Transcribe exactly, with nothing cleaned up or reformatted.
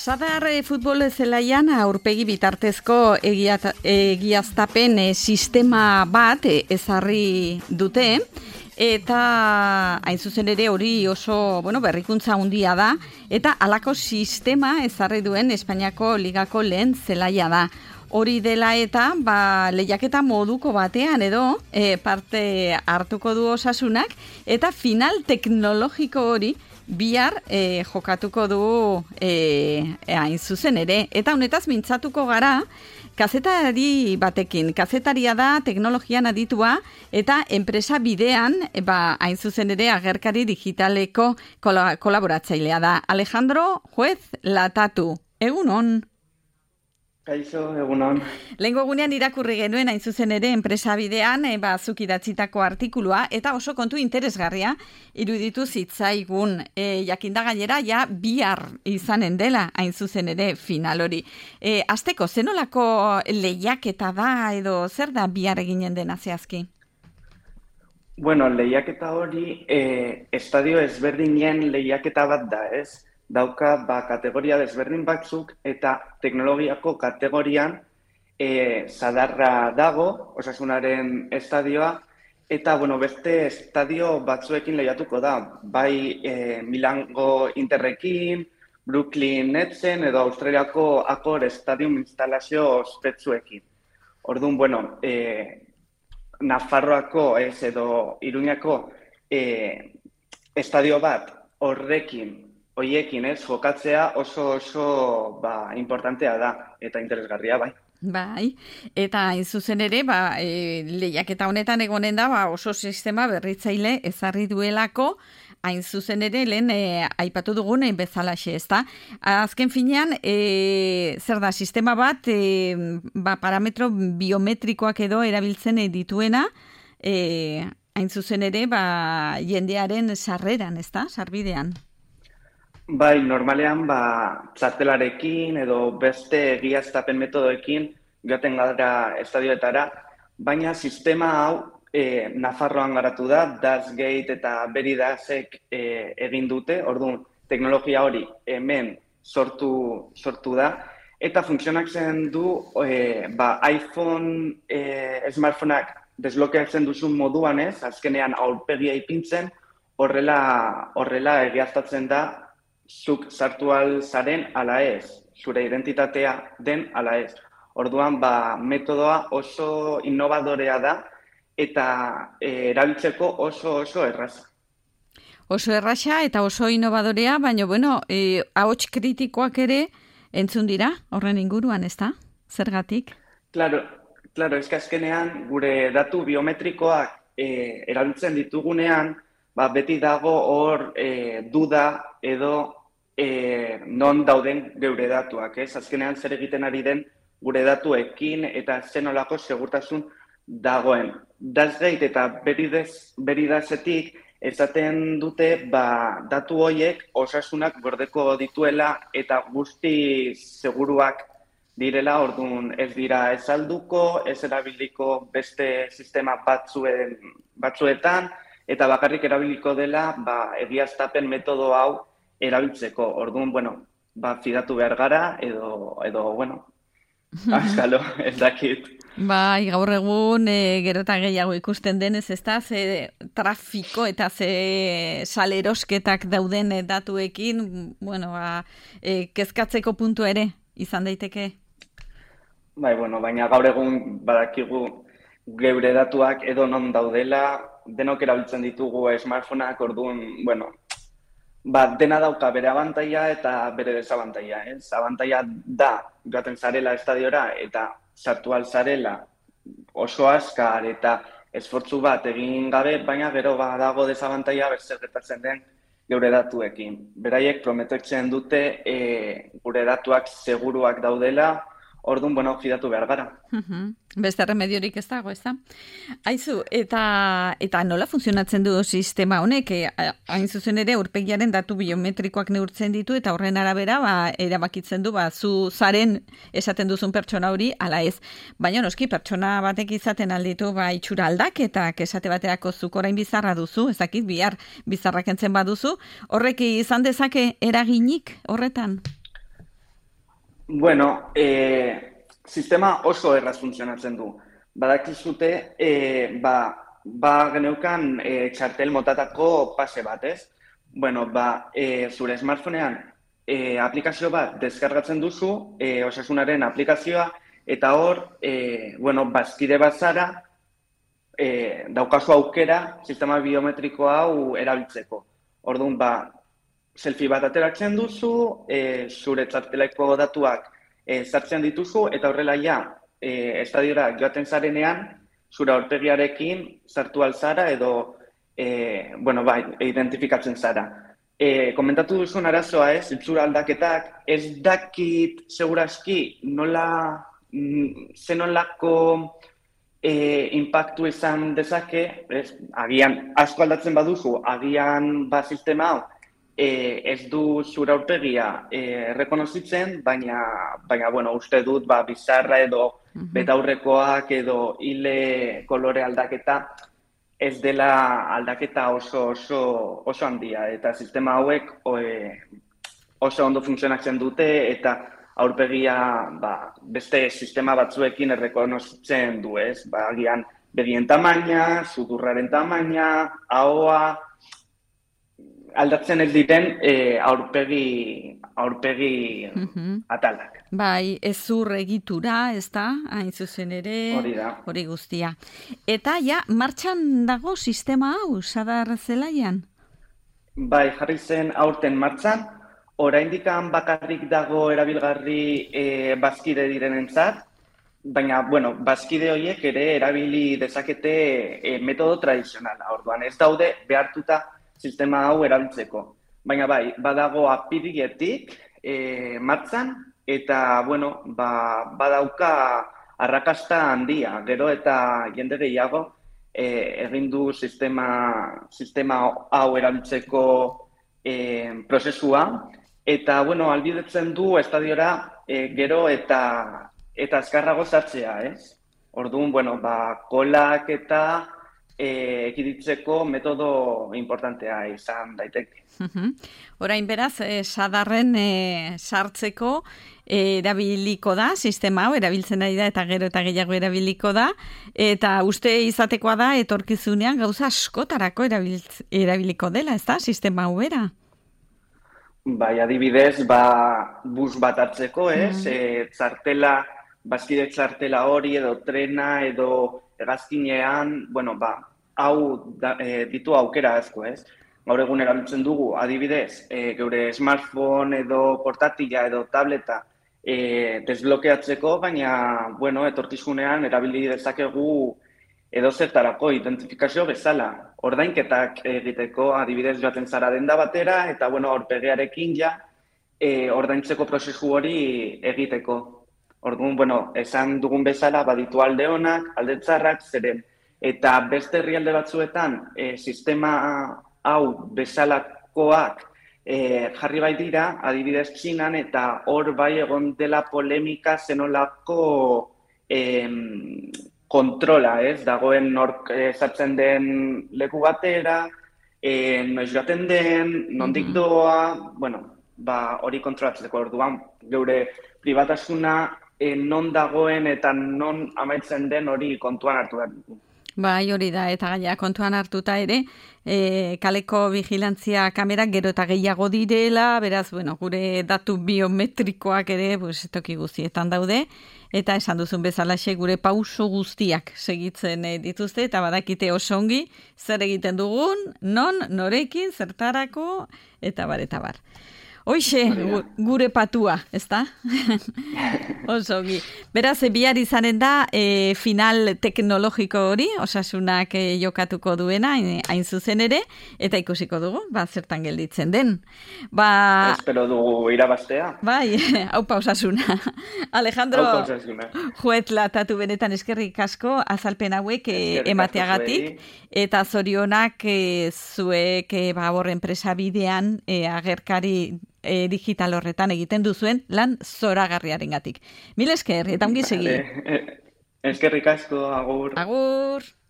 Sadar e, futbol zelaian aurpegi bitartezko egia, egiaztapen e, sistema bat e, ezarri dute, eta hain zuzen ere hori oso bueno, berrikuntza handia da, eta halako sistema ezarri duen Espainiako ligako lehen zelaia da. Hori dela eta ba, lehiaketa moduko batean edo e, parte hartuko du Osasunak, eta final teknologiko hori bihar e, jokatuko du e, hain zuzen ere. Eta honetaz mintzatuko gara, kazetari batekin. Kazetaria da, teknologian aditua, eta enpresa bidean, e, ba, hain zuzen ere agerkari digitaleko kola, kolaboratzailea da. Alejandro Juez Latatu, egunon. Kaixo, egunon. Lehengo egunean irakurri genuen hain zuzen ere enpresa bidean e, ba, zuk idatzitako artikulua, eta oso kontu interesgarria iruditu zitzaigun. E, jakinda gainera, ja bihar izanen dela hain zuzen ere final hori. E, Azteko, zenolako lehiaketa da edo zer da bihar eginen dena zehazki? Bueno, lehiaketa hori e, estadio ezberdinen lehiaketa bat da, ez? Dauka ba, kategoria desberdin batzuk eta teknologiako kategorian e, Sadarra dago, Osasunaren estadioa, eta bueno, beste estadio batzuekin lehiatuko da, bai e, Milango Interrekin, Brooklyn Netsen edo Australiako Accor Stadium instalazio ospetsuekin. Orduan, bueno, e, Nafarroako ez edo Iruñako e, estadio bat horrekin Oiekin, ez, jokatzea oso oso ba, importantea da eta interesgarria, bai. Bai, eta hain zuzen ere, ba, e, lehiaketa honetan egonen da, ba, oso sistema berritzaile ezarri duelako, hain zuzen ere, lehen e, aipatu dugun bezalaxe, ezta? Azken finean, e, zer da, sistema bat, e, ba, parametro biometrikoak edo erabiltzen dituena, e, hain zuzen ere, ba, jendearen sarreran, ezta, sarbidean. Bai, normalean ba, txartelarekin edo beste egiaztapen metodoekin joaten gara estadioetara, baina sistema hau e, Nafarroan garatu da, Dashgate eta Veridasek e, egin dute, orduan teknologia hori hemen sortu, sortu da, eta funtzionatzen du e, ba, iPhone e, smartphoneak desblokeatzen duzun moduan ez, azkenean aurpegia ipintzen, horrela, horrela egiaztatzen da, zuk sartu al zaren ala ez, zure identitatea den ala ez. Orduan, ba, metodoa oso innovadorea da eta e, erabiltzeko oso oso erraza. Oso erraza eta oso innovadorea, baina, bueno, e, ahots kritikoak ere entzun dira horren inguruan, ezta? Zergatik? Claro, claro, eska azkenean gure datu biometrikoak e, erabiltzen ditugunean, ba, beti dago hor e, duda edo E, non dauden geure datuak, ez? Azkenean zer egiten ari den gure datuekin eta zenolako segurtasun dagoen. Dashgate eta Veridasetik esaten dute ba, datu horiek Osasunak gordeko dituela eta guzti seguruak direla, orduan ez dira ez salduko, ez erabiliko beste sistema batzuen, batzuetan, eta bakarrik erabiliko dela ba, egiaztapen metodo hau erabiltzeko. Orduan, bueno, ba, fidatu behar gara, edo, edo bueno, askalo, ez dakit. Bai, gaur egun, e, gero eta gehiago ikusten denez, ez da, ze trafiko eta ze salerosketak dauden datuekin, bueno, ba, e, kezkatzeko puntu ere, izan daiteke? Bai, bueno, baina gaur egun badakigu geure datuak edo non daudela, denok erabiltzen ditugu smartphoneak, orduan, bueno, ba, dena dauka bere abantaila eta bere desabantaila, ez? Abantaila da, joaten zarela estadiora eta sartu al zarela oso askar eta esfortzu bat egin gabe, baina gero badago desabantaila zer gertatzen den geure datuekin. Beraiek prometitzen dute e, gure datuak seguruak daudela, orduan, bueno, fidatu behar gara. Uh-huh. Beste remediorik ez dago, ez da? Aizu, eta, eta nola funtzionatzen du sistema honek? Hain zuzen ere, aurpegiaren datu biometrikoak neurtzen ditu, eta horren arabera, ba, erabakitzen du, ba, zu zaren esaten duzun pertsona hori, ala ez. Baina noski, pertsona batek izaten alditu, ba, itxura aldaketak, esate baterako zuk orain bizarra duzu, ez dakit, bihar bizarrak entzen baduzu, horrek izan dezake eraginik horretan? Bueno, e, sistema oso erraz funtzionatzen du. Badakizute, e, ba, ba geneukan e, txartel motatako pase bat, ez? Bueno, ba, e, zure smartphonean e, aplikazio bat deskargatzen duzu, e, osasunaren aplikazioa, eta hor, e, bueno, bazkide bat zara, e, daukazu aukera sistema biometriko hau erabiltzeko. Orduan, ba, selfie bat ateratzen duzu, e, zure txarteleko datuak e, sartzen dituzu, eta horrela ja, e, estadiora joaten zarenean, zure aurpegiarekin sartu alzara edo, e, bueno, bai, identifikatzen zara. E, komentatu duzun arazoa ez, itxura aldaketak, ez dakit segurazki nola, zenolako e, impactu izan dezake, ez, agian asko aldatzen baduzu, agian ba sistema hau, e, ez du zure aurpegia e, rekonozitzen, baina, baina bueno, uste dut ba, bizarra edo betaurrekoak edo hile kolore aldaketa, ez dela aldaketa oso oso oso handia, eta sistema hauek oe, oso ondo funtzionatzen dute, eta aurpegia ba, beste sistema batzuekin errekonozitzen du, ez? Ba, agian begien tamaina, sudurraren tamaina, ahoa, aldatzen ez diren e, aurpegi, aurpegi uh-huh. atalak. Bai, ezur egitura, ez da, hain zuzen ere, hori da. Hori guztia. Eta ja, martxan dago sistema hau, Sadar zelaian? Bai, jarri zen aurten martxan, oraindikan bakarrik dago erabilgarri e, bazkide direnentzat, baina, bueno, bazkide horiek ere erabili dezakete e, metodo tradizionala, orduan ez daude behartuta sistema hau erabiltzeko. Baina bai, badago apiriletik e, martxan, eta, bueno, ba, badauka arrakasta handia, gero eta jende gehiago e, egin du sistema, sistema hau erabiltzeko e, prozesua, eta, bueno, albidetzen du estadiora e, gero eta, eta azkarrago sartzea, ez? Orduan, bueno, ba, kolak eta E, ekiditzeko metodo importantea izan daiteke. Uh-huh. Orain beraz, eh, Sadarren eh, sartzeko eh, erabiliko da, sistema hau, erabiltzen ari da eta gero eta gehiago erabiliko da, eta uste izatekoa da, etorkizunean gauza askotarako erabiltz, erabiliko dela, ez da, sistema hau bera? Bai, adibidez, ba, bus bat hartzeko, ez? Mm. E, txartela, bazkide txartela hori edo trena edo hegazkinean, bueno, ba, hau da, e, ditu aukera asko, ez? Gaur egun erabiltzen dugu, adibidez, e, geure smartphone edo portatila edo tableta e, desblokeatzeko, baina, bueno, etorkizunean erabili dezakegu edo zertarako identifikazio bezala. Ordainketak egiteko, adibidez joaten zara denda batera, eta, bueno, aurpegiarekin ja e, ordaintzeko prozesu hori egiteko. Orduan, bueno, esan dugun bezala, baditu alde honak, alde txarrak, zeren. Eta beste herrialde batzuetan, e, sistema hau bezalakoak e, jarri bai dira, adibidez Txinan, eta hor bai egon dela polemika zenolako e, kontrola, ez? Dagoen nork sartzen den leku batera, e, noiz joaten den, nondik doa, bueno, ba, hori kontrolatzeko orduan, geure pribatasuna E, non dagoen eta non amaitzen den hori kontuan hartu behar dugu. Bai, hori da, eta gaia kontuan hartuta ere, e, kaleko vigilantzia kamerak gero eta gehiago direla, beraz, bueno, gure datu biometrikoak ere, pues, toki guztietan daude, eta esan duzun bezalaxe gure pauso guztiak segitzen e, dituzte, eta badakite oso ongi, zer egiten dugun, non, norekin, zertarako, eta bar, eta bar. Hoixe, gure patua, ez da? Oso, gi. Beraz, bihar izanen da e, final teknologiko hori, osasunak e, jokatuko duena, hain zuzen ere, eta ikusiko dugu, ba, zertan gelditzen den. Ba, espero dugu irabaztea. Bai, haupa osasuna. Alejandro, haupa osasuna. Juetla, tatu benetan eskerrik asko, azalpen hauek e, emateagatik, eta zorionak e, zuek e, ba, horren presa bidean e, agerkari E, digital horretan egiten duzuen lan zoragarriarengatik. Mil esker, eta ongi segi. Eskerrik asko, agur. Agur.